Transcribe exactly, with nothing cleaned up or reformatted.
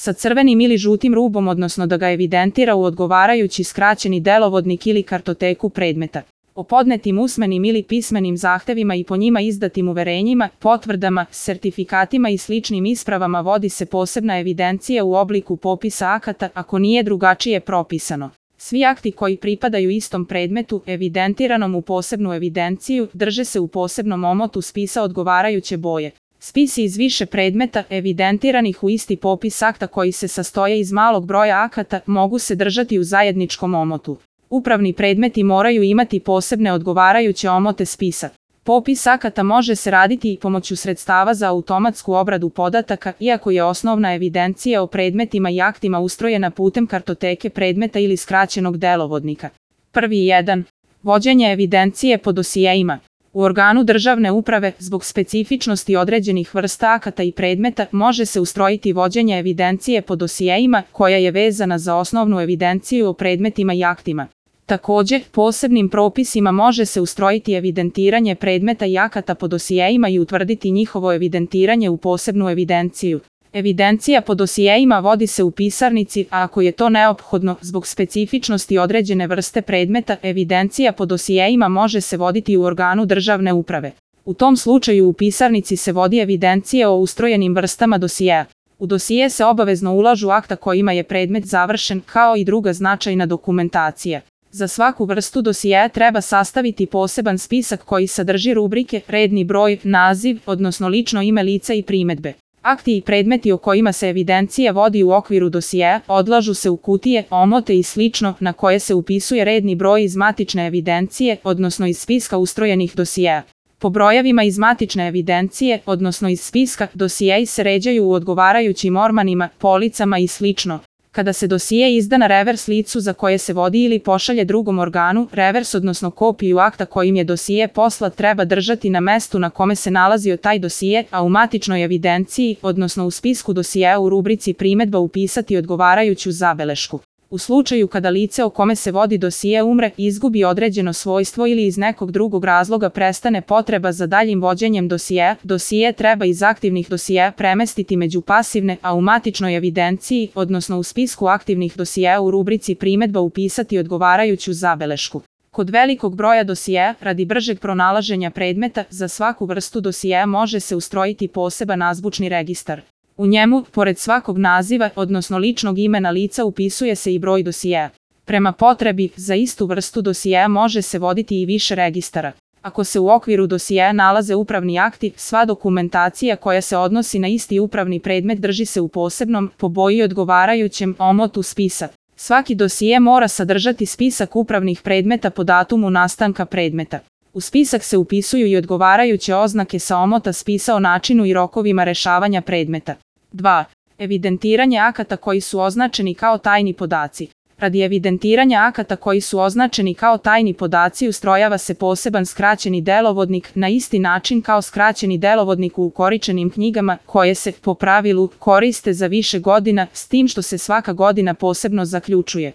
sa crvenim ili žutim rubom, odnosno da ga evidentira u odgovarajući skraćeni delovodnik ili kartoteku predmeta. O podnetim usmenim ili pismenim zahtevima i po njima izdatim uverenjima, potvrdama, sertifikatima i sličnim ispravama vodi se posebna evidencija u obliku popisa akata ako nije drugačije propisano. Svi akti koji pripadaju istom predmetu, evidentiranom u posebnu evidenciju, drže se u posebnom omotu spisa odgovarajuće boje. Spisi iz više predmeta, evidentiranih u isti popis akta koji se sastoje iz malog broja akata, mogu se držati u zajedničkom omotu. Upravni predmeti moraju imati posebne odgovarajuće omote spisa. Popis akata može se raditi i pomoću sredstava za automatsku obradu podataka, iako je osnovna evidencija o predmetima i aktima ustrojena putem kartoteke predmeta ili skraćenog delovodnika. Prvi jedan. Vođenje evidencije po dosijeima. U organu državne uprave, zbog specifičnosti određenih vrsta akata i predmeta, može se ustrojiti vođenje evidencije po dosijeima, koja je vezana za osnovnu evidenciju o predmetima i aktima. Također, posebnim propisima može se ustrojiti evidentiranje predmeta i akata po dosijeima i utvrditi njihovo evidentiranje u posebnu evidenciju. Evidencija po dosijeima vodi se u pisarnici, a ako je to neophodno, zbog specifičnosti određene vrste predmeta, evidencija po dosijeima može se voditi u organu državne uprave. U tom slučaju u pisarnici se vodi evidencija o ustrojenim vrstama dosijeja. U dosije se obavezno ulažu akta kojima je predmet završen, kao i druga značajna dokumentacija. Za svaku vrstu dosijeja treba sastaviti poseban spisak koji sadrži rubrike, redni broj, naziv, odnosno lično ime lica i primedbe. Akti i predmeti o kojima se evidencija vodi u okviru dosijeja odlažu se u kutije, omote i slično, na koje se upisuje redni broj iz matične evidencije, odnosno iz spiska ustrojenih dosijeja. Po brojevima iz matične evidencije, odnosno iz spiska, dosijeji se ređaju u odgovarajućim ormanima, policama i slično. Kada se dosije izda na revers licu za koje se vodi ili pošalje drugom organu, revers odnosno kopiju akta kojim je dosije poslat treba držati na mestu na kome se nalazio taj dosije, a u matičnoj evidenciji, odnosno u spisku dosijeja u rubrici primedba upisati odgovarajuću zabelešku. U slučaju kada lice o kome se vodi dosije umre, izgubi određeno svojstvo ili iz nekog drugog razloga prestane potreba za daljim vođenjem dosijeja, dosije treba iz aktivnih dosijeja premestiti među pasivne, a u matičnoj evidenciji, odnosno u spisku aktivnih dosijeja u rubrici primedba upisati odgovarajuću zabelešku. Kod velikog broja dosijeja, radi bržeg pronalaženja predmeta, za svaku vrstu dosijeja može se ustrojiti poseban azbučni registar. U njemu, pored svakog naziva, odnosno ličnog imena lica, upisuje se i broj dosijeja. Prema potrebi, za istu vrstu dosijeja može se voditi i više registara. Ako se u okviru dosijeja nalaze upravni akti, sva dokumentacija koja se odnosi na isti upravni predmet drži se u posebnom, po boji odgovarajućem, omotu spisa. Svaki dosije mora sadržati spisak upravnih predmeta po datumu nastanka predmeta. U spisak se upisuju i odgovarajuće oznake sa omota spisa o načinu i rokovima rešavanja predmeta. dva. Evidentiranje akata koji su označeni kao tajni podaci. Radi evidentiranja akata koji su označeni kao tajni podaci ustrojava se poseban skraćeni delovodnik na isti način kao skraćeni delovodnik u ukoričenim knjigama, koje se, po pravilu, koriste za više godina, s tim što se svaka godina posebno zaključuje.